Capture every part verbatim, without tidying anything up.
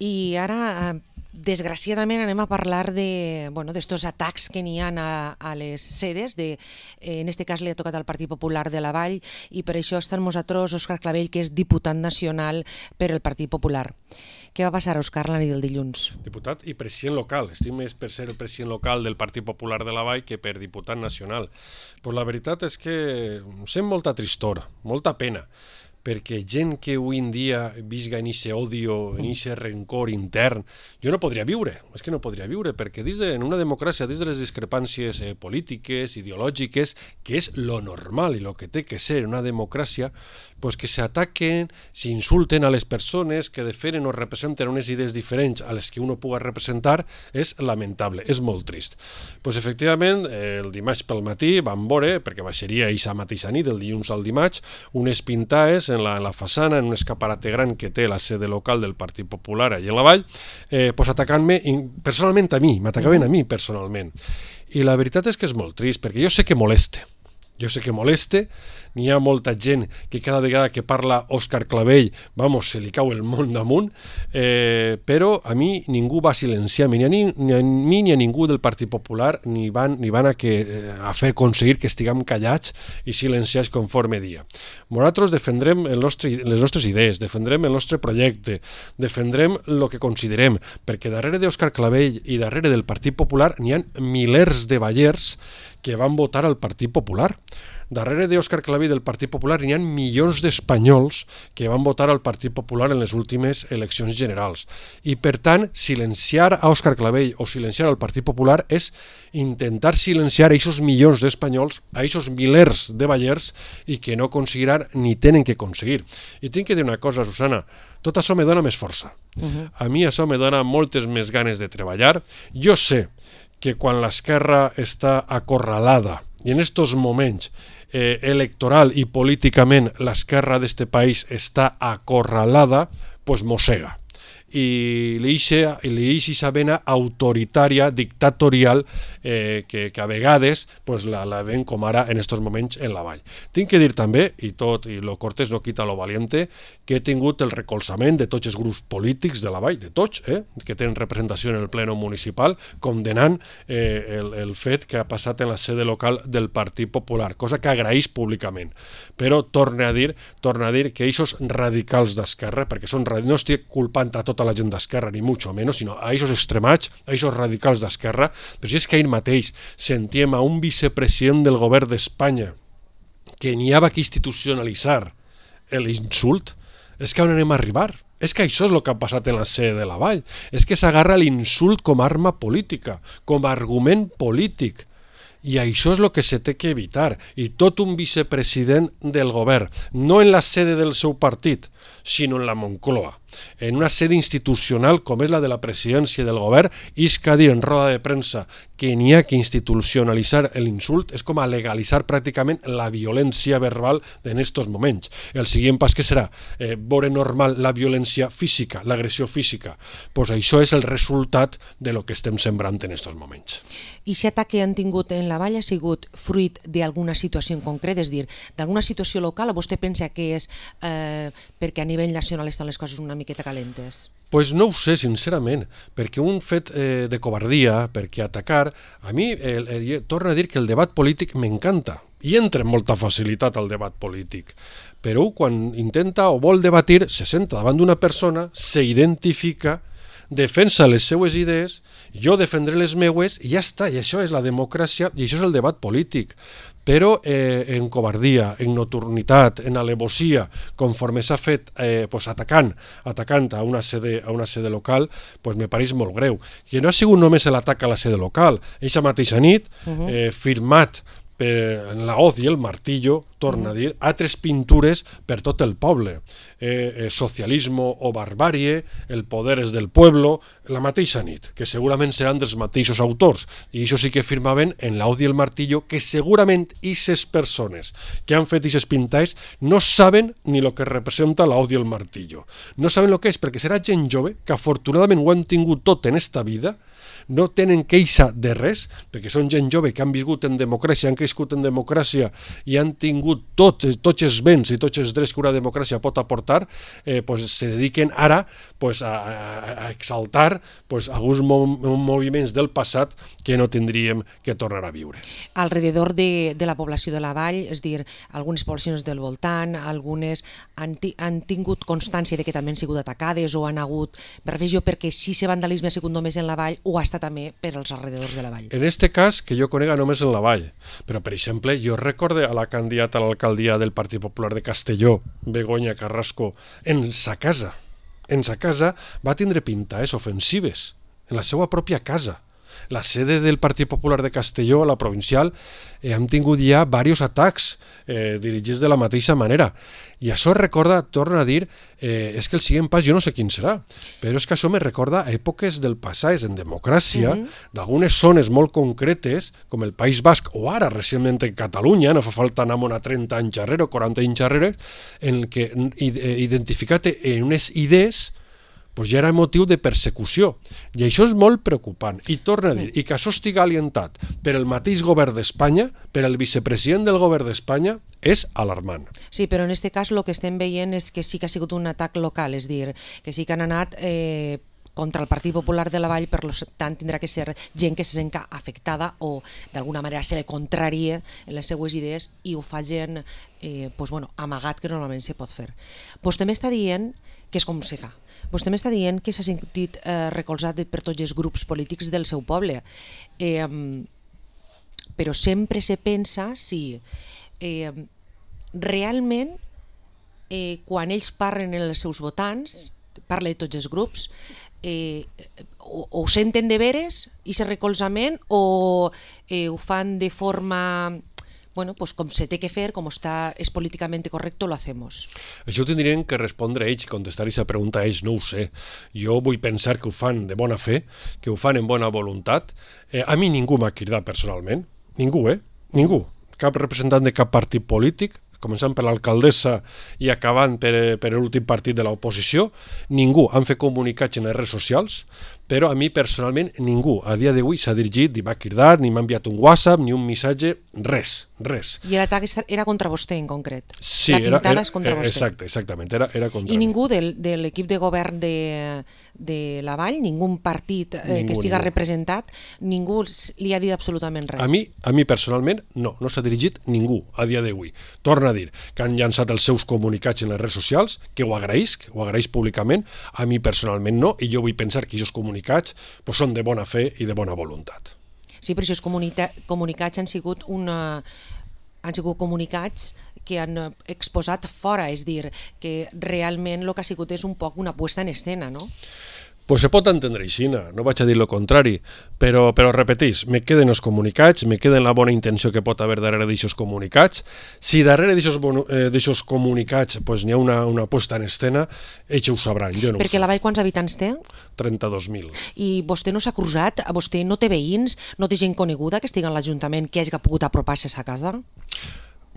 I ara, desgraciadament, anem a parlar de, bueno, d'estos atacs que n'hi ha a, a les sedes. De, en este cas li ha tocat al Partit Popular de la Vall i per això està amb nosaltres Òscar Clavell, que és diputat nacional per el Partit Popular. Què va passar, Òscar, la nit del dilluns? Diputat i president local. Estic més per ser el president local del Partit Popular de la Vall que per diputat nacional. Pues la veritat és que sent molta tristor, molta pena, perquè gent que avui en dia visga en aquest odio, en aquest rencor intern, jo no podria viure, és que no podria viure, perquè dins de, en una democràcia, dins de les discrepàncies eh, polítiques, ideològiques, que és lo normal i lo que té que ser una democràcia, pues que s'ataquen, s'insulten a les persones que defenen o representen unes idees diferents a les que uno puga representar, és lamentable, és molt trist. Pues efectivament, el dimarts pel matí vam veure, perquè baixaria aquesta mateixa nit, el dilluns al dimarts, unes pintades en la, en la façana, en un escaparate gran que té la sede local del Partit Popular allà a la Vall, eh, pues atacant-me personalment a mi, m'atacaven a mi personalment. I la veritat és que és molt trist, perquè jo sé que moleste, jo sé que moleste, n'hi ha molta gent que cada vegada que parla Òscar Clavell, vamos, se li cau el món damunt, eh, però a mi ningú va silenciar-me, ni a, ni, ni a mi ni a ningú del Partit Popular, ni van, ni van a, que, eh, a fer aconseguir que estiguem callats i silenciats conforme dia. Nosaltres defendrem el nostre, les nostres idees, defendrem el nostre projecte, defendrem el que considerem, perquè darrere d'Òscar Clavell i darrere del Partit Popular n'hi ha milers de ballers que van votar al Partit Popular. Darrere d'Òscar Clavell del Partit Popular n'hi ha milions d'espanyols que van votar al Partit Popular en les últimes eleccions generals. I, per tant, silenciar a Òscar Clavell o silenciar al Partit Popular és intentar silenciar a aquests milions d'espanyols, a aquests milers de ballers i que no aconseguiran ni tenen que aconseguir. I tinc que dir una cosa, Susana, tot això me dona més força. Uh-huh. A mi això me dona moltes més ganes de treballar. Jo sé que quan l'esquerra està acorralada i en estos moments eh, electoral i políticament l'esquerra d'este país està acorralada, pues mossega. I li deixa esa vena autoritària, dictatorial, eh, que, que a vegades pues, la, la ven com ara en estos moments en la Vall. Tinc que dir també, i tot, i lo cortés no quita lo valiente, que he tingut el recolzament de tots els grups polítics de la Vall, de tots, eh, que tenen representació en el pleno municipal, condenant eh, el, el fet que ha passat en la sede local del Partit Popular, cosa que agraeix públicament. Però torne a dir, torne a dir que aquests radicals d'esquerra, perquè són, no estic culpant a tota la gent d'esquerra, ni mucho menos, sinó a aquests extremats, a aquests radicals d'esquerra, però si és que ahir mateix sentíem a un vicepresident del govern d'Espanya que n'hi havia que institucionalitzar l'insult, és que on anem a arribar? És que això és el que ha passat en la sede de la Vall, és que s'agarra l'insult com a arma política, com a argument polític. I això és el que se té que evitar. I tot un vicepresident del govern, no en la sede del seu partit, sinó en la Moncloa, en una sede institucional com és la de la presidència del govern, és que dir en roda de premsa que n'hi ha que institucionalitzar l'insult és com a legalitzar pràcticament la violència verbal en estos moments. El següent pas que serà eh, veure normal la violència física, l'agressió física. Pues això és el resultat de lo que estem sembrant en estos moments. I aquest atac que han tingut en la Vall ha sigut fruit d'alguna situació en concret, és dir, d'alguna situació local, o vostè pensa que és eh, perquè a nivell nacional estan les coses una miqueta calentes? Pues no ho sé, sincerament, perquè un fet eh, de covardia, perquè atacar, a mi eh, eh, torna a dir que el debat polític m'encanta, i entra amb molta facilitat al debat polític, però quan intenta o vol debatir, se senta davant d'una persona, s'identifica, defensa les seues idees, jo defendré les meues i ja està, i això és la democràcia i això és el debat polític. Però eh, en covardia, en nocturnitat, en alevosia, conforme s'ha fet eh, pues, atacant, atacant a una sede, a una sede local, pues, me pareix molt greu. I no ha sigut només l'atac a la sede local. Eixa mateixa nit, uh-huh. eh, firmat per, en la hoz i el martillo, torna a dir, altres pintures per tot el poble. Eh, eh, socialismo o barbàrie, el poder és del pueblo, la mateixa nit, que segurament seran dels mateixos autors. I això sí que firmaven en la hoz i el martillo, que segurament aquestes persones que han fet aquestes pintades no saben ni el que representa la hoz i el martillo. No saben el que és, perquè serà gent jove, que afortunadament ho han tingut tot en esta vida, no tenen queixa de res, perquè són gent jove que han viscut en democràcia, han crescut en democràcia i han tingut tot, tots els béns i tots els drets que una democràcia pot aportar, eh, pues se dediquen ara pues, a, a exaltar pues, alguns moviments del passat que no tindríem que tornar a viure. Alrededor de, de la població de la vall, és dir, algunes poblacions del voltant, algunes han, han tingut constància de que també han sigut atacades o han hagut, per revisió, perquè si ese vandalisme ha sigut només en la vall o ha estat també per als alrededors de la vall. En este cas, que jo conega només en la vall, però per exemple, jo recorde a la candidata a l'alcaldia del Partit Popular de Castelló, Begoña Carrasco, en sa casa, en sa casa va tindre pintades ofensives, en la seva pròpia casa. La sede del Partit Popular de Castelló, la provincial, eh, hem tingut ja diversos atacs eh, dirigits de la mateixa manera. I això recorda, torno a dir, eh, és que el següent pas jo no sé quin serà, però és que això me recorda a èpoques del passat, en democràcia, mm-hmm. d'algunes zones molt concretes, com el País Basc o ara recentment en Catalunya, no fa falta anar a trenta anys darrere o quaranta anys darrere, en què identificat en unes idees pues ja era motiu de persecució. I això és molt preocupant. I torno a dir, i que això estigui alientat per el mateix govern d'Espanya, per el vicepresident del govern d'Espanya, és alarmant. Sí, però en aquest cas el que estem veient és que sí que ha sigut un atac local, és dir, que sí que han anat eh, contra el Partit Popular de la Vall, per tant tindrà que ser gent que se sent afectada o d'alguna manera se li contraria en les seues idees i ho fa gent eh, pues, bueno, amagat, que normalment se pot fer. Vostè m'està dient que és com se fa. Vostè m'està dient que s'ha sentit eh, recolzat per tots els grups polítics del seu poble, eh, però sempre se pensa si eh, realment eh, quan ells parlen en els seus votants, parla de tots els grups, eh, o, o ho senten de veres, i ese recolzament, o eh, ho fan de forma... bueno, pues com se té que fer, com està, és políticament correcte, lo hacemos. Això ho tindrien que respondre ells, contestar aquesta pregunta a ells, no ho sé. Jo vull pensar que ho fan de bona fe, que ho fan en bona voluntat. Eh, a mi ningú m'ha cridat personalment, ningú, eh? Ningú. Cap representant de cap partit polític, començant per l'alcaldessa i acabant per, per l'últim partit de l'oposició, ningú han fet comunicats en les redes socials, però a mi personalment ningú a dia d'avui s'ha dirigit, ni m'ha cridat, ni m'ha enviat un WhatsApp, ni un missatge, res, res. I l'atac era contra vostè en concret? Sí, la pintada era, era, és contra vostè? Exacte, exactament, era, era contra I mi. ningú del, de l'equip de govern de, de la Vall, ningú partit eh, ningú, que estiga ningú. representat, ningú li ha dit absolutament res? A mi, a mi personalment no, no s'ha dirigit ningú a dia d'avui. Torna a dir que han llançat els seus comunicats en les redes socials, que ho agraïsc, ho agraïsc públicament, a mi personalment no, i jo vull pensar que aquests comunicats pues, són de bona fe i de bona voluntat. Sí, però aquests comunicats han sigut una... han sigut comunicats que han exposat fora, és dir, que realment el que ha sigut és un poc una puesta en escena, no? Pues se pot entendre així, no vaig a dir el contrari, però, però repetís, me queden els comunicats, me queden la bona intenció que pot haver darrere d'aixòs comunicats. Si darrere d'aixòs comunicats pues, n'hi ha una, una puesta en escena, ells ho sabran, jo no ho sé. Perquè la Vall quants habitants té? trenta-dos mil. I vostè no s'ha cruzat? Vostè no té veïns? No té gent coneguda que estigui en l'Ajuntament que hagi pogut apropar-se a sa casa?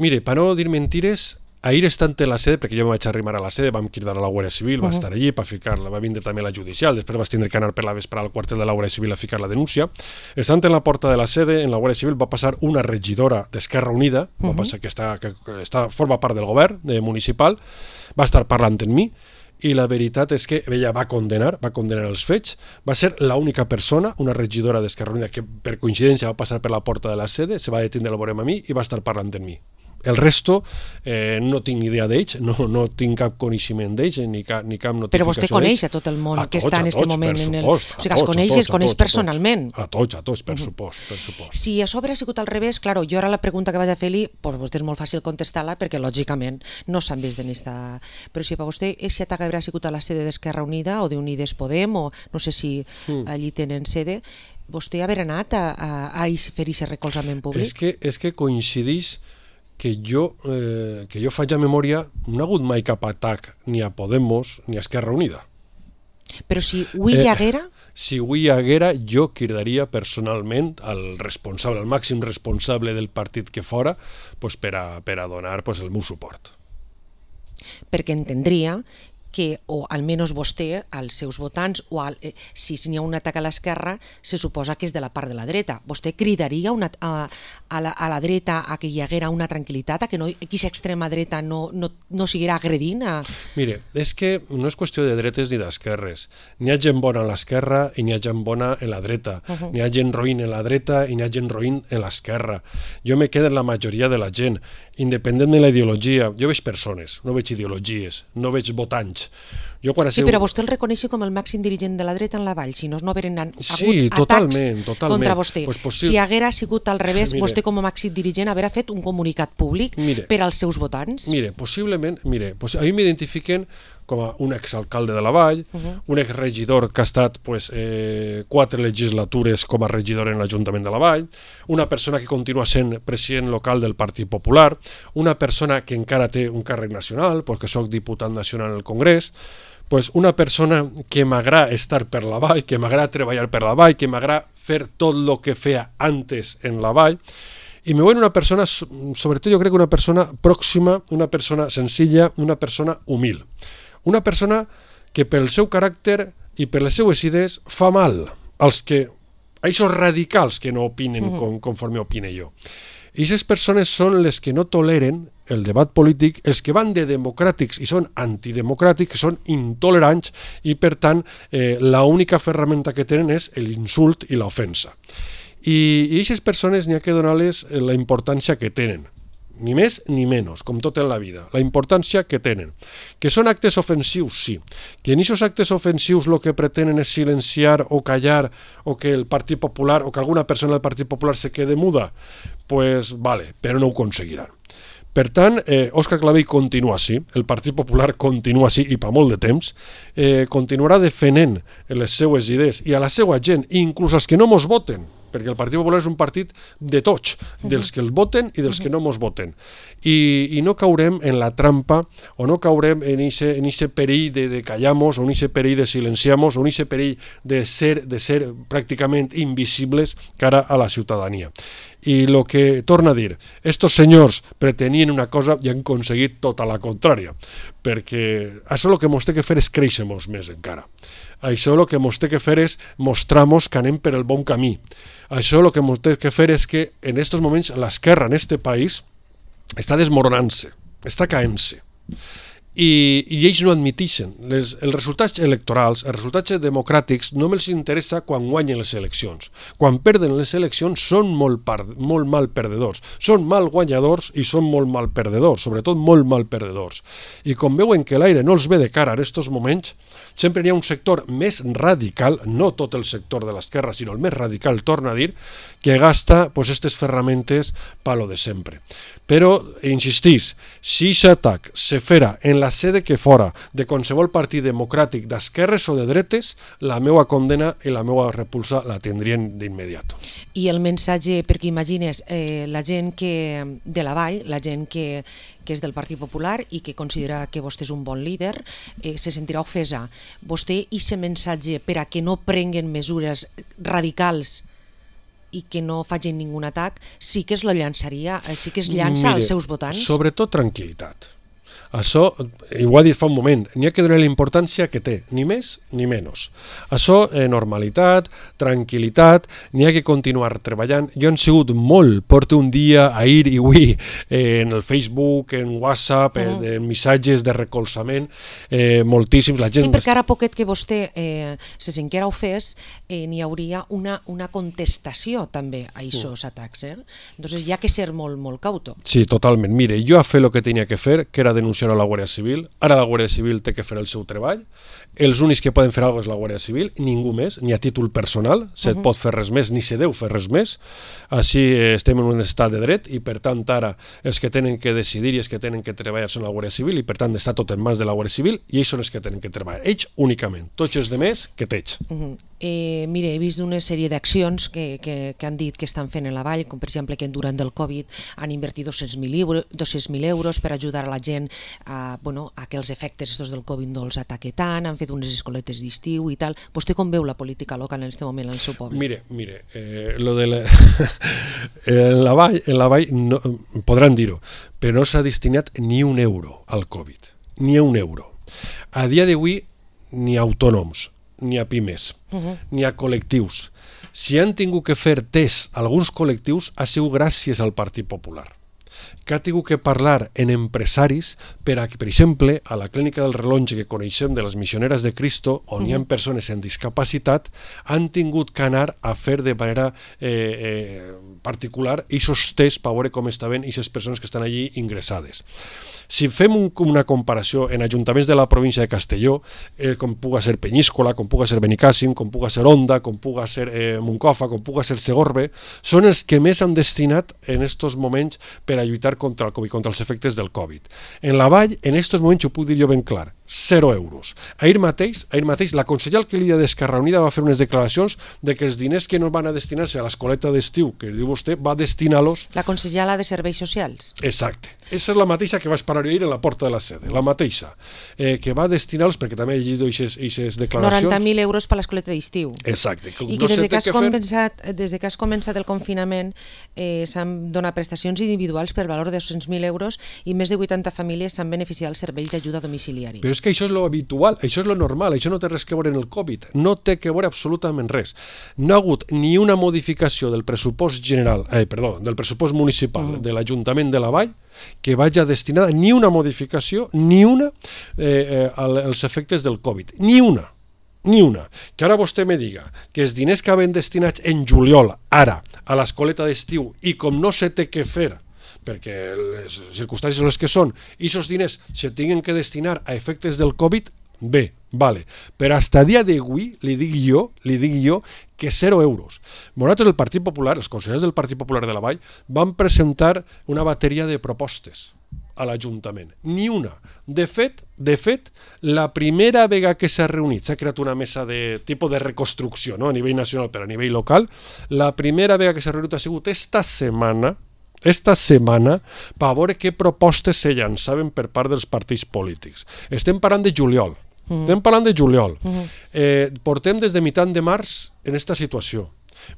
Mire, per no dir mentires, ahir estant a la sede, perquè jo me vaig arrimar a la sede, vam cridar a la Guàrdia Civil, va uh -huh. estar allí per ficar-la, va vindre també la judicial, després vas tindre que anar per la vesprada al quartel de la Guàrdia Civil a ficar la denúncia. Estant en la porta de la sede, en la Guàrdia Civil, va passar una regidora d'Esquerra Unida, uh -huh. va passar que, està, que està, forma part del govern de municipal, va estar parlant amb mi, i la veritat és que ella va condenar, va condenar els fets, va ser l'única persona, una regidora d'Esquerra Unida, que per coincidència va passar per la porta de la sede, se va detindre a veure amb mi i va estar parlant amb mi. El resto eh, no tinc ni idea d'ells, no, no tinc cap coneixement d'ells, ni, cap, ni cap notificació d'ells. Però vostè coneix a tot el món a que tots, està en aquest moment. Per en el... supost, o sigui, els coneix i els coneix personalment. A tots, a tots, per supost, per supost. Si a sobre ha sigut al revés, claro, jo ara la pregunta que vaig a fer-li, pues vostè és molt fàcil contestar-la perquè lògicament no s'han vist en esta... Però si per vostè aquest atac haurà sigut a la sede d'Esquerra Unida o d'Unides Podem, o no sé si mm. allí tenen sede, vostè haver anat a, a, a fer aquest recolzament públic? És que, és que coincideix que jo, eh, que jo faig a memòria, no ha hagut mai cap atac ni a Podemos ni a Esquerra Unida. Però si ho hi haguera... Eh, si ho hi haguera, jo cridaria personalment al responsable, al màxim responsable del partit que fora, pues, per, a, per a donar pues, el meu suport. Perquè entendria que, o almenys vostè, als seus votants, o al, eh, si n'hi ha un atac a l'esquerra, se suposa que és de la part de la dreta. Vostè cridaria una, a, a, la, a la dreta a que hi haguera una tranquil·litat, a que no, aquesta extrema dreta no, no, no siguera agredint? A... Mire, és que no és qüestió de dretes ni d'esquerres. N'hi ha gent bona a l'esquerra i n'hi ha gent bona en la dreta. Uh -huh. N'hi ha gent roïn en la dreta i n'hi ha gent roïn en l'esquerra. Jo me quedo en la majoria de la gent, independent de la ideologia. Jo veig persones, no veig ideologies, no veig votants. Jo quan sí, seu... però vostè el reconeix com el màxim dirigent de la dreta en la Vall, si no, no hagueren hagut sí, atacs totalment, totalment. contra vostè. Pues possi... Si haguera sigut al revés, mire, vostè com a màxim dirigent haguera fet un comunicat públic mire, per als seus votants? Mire, possiblement, mire, pues a mi m'identifiquen com a un exalcalde de la Vall, uh -huh. un exregidor que ha estat pues, eh, quatre legislatures com a regidor en l'Ajuntament de la Vall, una persona que continua sent president local del Partit Popular, una persona que encara té un càrrec nacional, perquè soc diputat nacional en el Congrés, pues una persona que m'agrada estar per la Vall, que m'agrada treballar per la Vall, que m'agrada fer tot el que feia antes en la Vall, i me veuen una persona, sobretot jo crec que una persona pròxima, una persona senzilla, una persona humil. Una persona que pel seu caràcter i per les seues idees fa mal als que, a aquests radicals que no opinen uh-huh. com, conforme opine jo. I aquestes persones són les que no toleren el debat polític, els que van de democràtics i són antidemocràtics, són intolerants i, per tant, eh, l'única ferramenta que tenen és l'insult i l'ofensa. I, i aquestes persones n'hi ha que donar-les la importància que tenen. Ni més ni menys, com tot en la vida, la importància que tenen. Que són actes ofensius, sí. Que en aquests actes ofensius el que pretenen és silenciar o callar o que el Partit Popular o que alguna persona del Partit Popular se quede muda, pues vale, però no ho aconseguiran. Per tant, eh, Òscar Clavell continua així, el Partit Popular continua així i per molt de temps, eh, continuarà defendent les seues idees i a la seva gent, inclús als que no mos voten, perquè el Partit Popular és un partit de tots, dels que el voten i dels que no mos voten. I, i no caurem en la trampa o no caurem en ese, en ese perill de, de callamos o en ese perill de silenciamos o en ese perill de ser, de ser pràcticament invisibles cara a la ciutadania. I el que torna a dir, estos senyors pretenien una cosa i han aconseguit tota la contrària, perquè això el que mos té que fer és créixer-nos més encara. Això el que mos té que fer és mostrar-nos que anem per el bon camí. Això el que mos té que fer és que en aquests moments l'esquerra en aquest país està desmoronant-se, està caent-se. I, i ells no admiteixen. Les, els resultats electorals, els resultats democràtics no me'ls interessa quan guanyen les eleccions. Quan perden les eleccions són molt, par, molt mal perdedors. Són mal guanyadors i són molt mal perdedors, sobretot molt mal perdedors. I com veuen que l'aire no els ve de cara en aquests moments, sempre hi ha un sector més radical, no tot el sector de l'esquerra, sinó el més radical, torna a dir, que gasta pues, aquestes ferramentes pa lo de sempre. Però, insistís, si aquest atac se fera en la sede que fora de qualsevol partit democràtic d'esquerres o de dretes, la meva condena i la meva repulsa la tindrien d'immediat. I el missatge, perquè imagines, eh, la gent que de la Vall, la gent que, que és del Partit Popular i que considera que vostè és un bon líder, eh, se sentirà ofesa. Vostè, i aquest missatge per a que no prenguen mesures radicals i que no facin ningú atac, sí que es lo llançaria, sí que es llança Mire, als seus votants? Sobretot tranquil·litat. Això, i ho ha dit fa un moment, n'hi ha que donar la importància que té, ni més ni menys. Això, eh, normalitat, tranquil·litat, n'hi ha que continuar treballant. Jo he sigut molt, porto un dia, ahir i avui, eh, en el Facebook, en WhatsApp, eh, de missatges de recolzament, eh, moltíssims. La gent... Sí, perquè ara poquet que vostè eh, se sentirà ofès, eh, n'hi hauria una, una contestació també a aquests mm. atacs. Eh? Entonces hi ha que ser molt, molt cauto. Sí, totalment. Mire, jo he fet el que tenia que fer, que era denunciar a la Guàrdia Civil. Ara la Guàrdia Civil té que fer el seu treball. Els únics que poden fer alguna cosa és la Guàrdia Civil, ningú més, ni a títol personal, se uh -huh. pot fer res més, ni se deu fer res més. Així eh, estem en un estat de dret i per tant ara els que tenen que decidir i els que tenen que treballar són la Guàrdia Civil i per tant està tot en mans de la Guàrdia Civil i ells són els que tenen que treballar. Ells únicament, tots els demés que teix. Uh -huh. eh, mire, he vist una sèrie d'accions que, que, que han dit que estan fent en la Vall, com per exemple que durant el Covid han invertit dos-cents mil euros per ajudar a la gent a, bueno, a que els efectes estos del Covid no els ataque tant, han fet unes escoletes d'estiu i tal. Vostè com veu la política local en aquest moment al seu poble? Mire, mire, eh, lo de la... en la Vall, en la Vall no, podran dir-ho, però no s'ha destinat ni un euro al Covid, ni un euro. A dia d'avui, ni a autònoms, ni a pimes, Uh-huh. ni a col·lectius. Si han tingut que fer test alguns col·lectius, ha sigut gràcies al Partit Popular, que ha tingut que parlar en empresaris per a que, per exemple, a la clínica del Relonge que coneixem de les Missioneres de Cristo, on uh-huh. hi ha persones amb discapacitat, han tingut que anar a fer de manera eh, eh, particular aquests tests per veure com estaven aquestes persones que estan allí ingressades. Si fem un, una comparació en ajuntaments de la província de Castelló, eh, com puga ser Penyíscola, com puga ser Benicàssim, com puga ser Onda, com puga ser eh, Moncofa, com puga ser Segorbe, són els que més han destinat en estos moments per a lluitar contra el Covid, contra els efectes del Covid. En la Vall, en estos moments, ho puc dir jo ben clar, zero euros. Ahir mateix, ahir mateix la consellera alcaldia d'Esquerra Unida va fer unes declaracions de que els diners que no van a destinar-se a l'escoleta d'estiu, que diu vostè, va destinar-los... La consellera de Serveis Socials. Exacte. Esa és la mateixa que va esperar jo ahir en la porta de la sede, la mateixa, eh, que va destinar-los, perquè també he llegit aquestes declaracions... noranta mil euros per l'escoleta d'estiu. Exacte. Que I no que des de que, has que començat, des de que has començat el confinament eh, s'han donat prestacions individuals per valor de dos-cents mil euros i més de vuitanta famílies s'han beneficiat del servei d'ajuda domiciliari. Però és que això és lo habitual, això és lo normal, això no té res que veure en el Covid, no té que veure absolutament res. No ha hagut ni una modificació del pressupost general, eh, perdó, del pressupost municipal mm. de l'Ajuntament de la Vall que vagi destinada ni una modificació, ni una eh, eh, als efectes del Covid, ni una. Ni una. Que ara vostè me diga que els diners que havien destinats en juliol, ara, a l'escoleta d'estiu, i com no se té que fer, perquè les circumstàncies són les que són, i aquests diners se tinguin que destinar a efectes del Covid, bé, vale. Però fins a dia d'avui, li dic jo, li dic jo, que zero euros. Nosaltres, el Partit Popular, els consellers del Partit Popular de la Vall, van presentar una bateria de propostes a l'Ajuntament. Ni una. De fet, de fet, la primera vegada que s'ha reunit, s'ha creat una mesa de tipus de reconstrucció, no? A nivell nacional però a nivell local, la primera vegada que s'ha reunit ha sigut esta setmana, esta setmana, per veure què propostes se llançaven per part dels partits polítics. Estem parlant de juliol. Mm. Estem parlant de juliol. Mm. Eh, portem des de mitat de març en esta situació.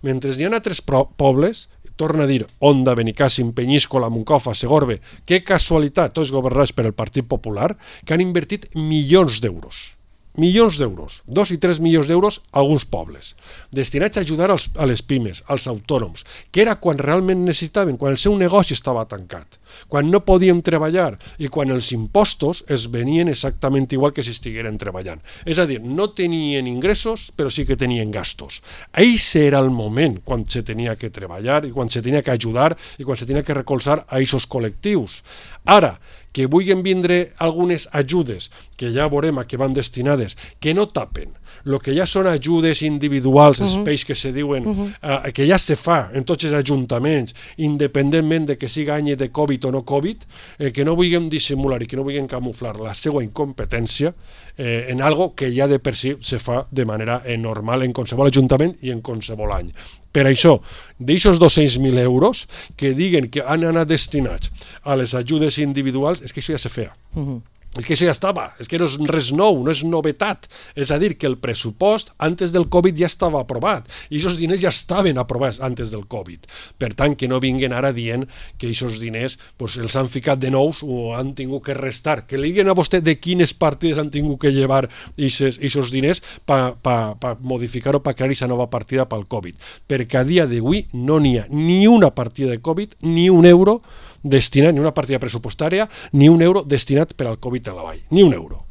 Mentre hi ha altres pobles, torna a dir Onda, Benicàssim, Penyíscola, Moncofa, Segorbe, que casualitat, tots governats per el Partit Popular, que han invertit milions d'euros. Milions d'euros, dos i tres milions d'euros a alguns pobles, destinats a ajudar als, a les pimes, als autònoms, que era quan realment necessitaven, quan el seu negoci estava tancat, quan no podien treballar i quan els impostos es venien exactament igual que si estigueren treballant. És a dir, no tenien ingressos, però sí que tenien gastos. Això era el moment quan se tenia que treballar i quan se tenia que ajudar i quan se tenia que recolzar a aquests col·lectius. Ara, que vulguin vindre algunes ajudes, que ja veurem a què van destinades, que no tapen, el que ja són ajudes individuals, els uh-huh. peix que se diuen, uh-huh. eh, que ja se fa en tots els ajuntaments, independentment de que siga any de Covid o no Covid, eh, que no vulguin dissimular i que no vulguin camuflar la seva incompetència eh, en algo que ja de per si se fa de manera eh, normal en qualsevol ajuntament i en qualsevol any. Per això, d'aixòs dos-cents mil euros que diguen que han anat destinats a les ajudes individuals, és que això ja se feia. Uh-huh. És que això ja estava, és que no és res nou, no és novetat. És a dir, que el pressupost antes del Covid ja estava aprovat i aquests diners ja estaven aprovats antes del Covid. Per tant, que no vinguin ara dient que aquests diners pues, els han ficat de nous o han tingut que restar. Que li diguen a vostè de quines partides han tingut que llevar aquests diners per pa, pa modificar o per crear aquesta nova partida pel Covid. Perquè a dia d'avui no n'hi ha ni una partida de Covid, ni un euro destinat, ni una partida pressupostària, ni un euro destinat per al Covid a la Vall. Ni un euro.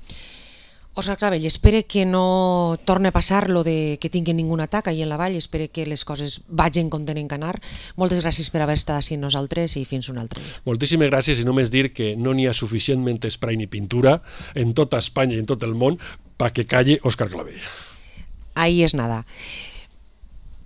Òscar Clavell, espere que no torni a passar lo de que tinguin ningun atac ahir en la Vall, espere que les coses vagin com tenen que anar. Moltes gràcies per haver estat així nosaltres i fins un altre dia. Moltíssimes gràcies i només dir que no n'hi ha suficientment spray ni pintura en tota Espanya i en tot el món perquè calle Òscar Clavell. Ahí és nada.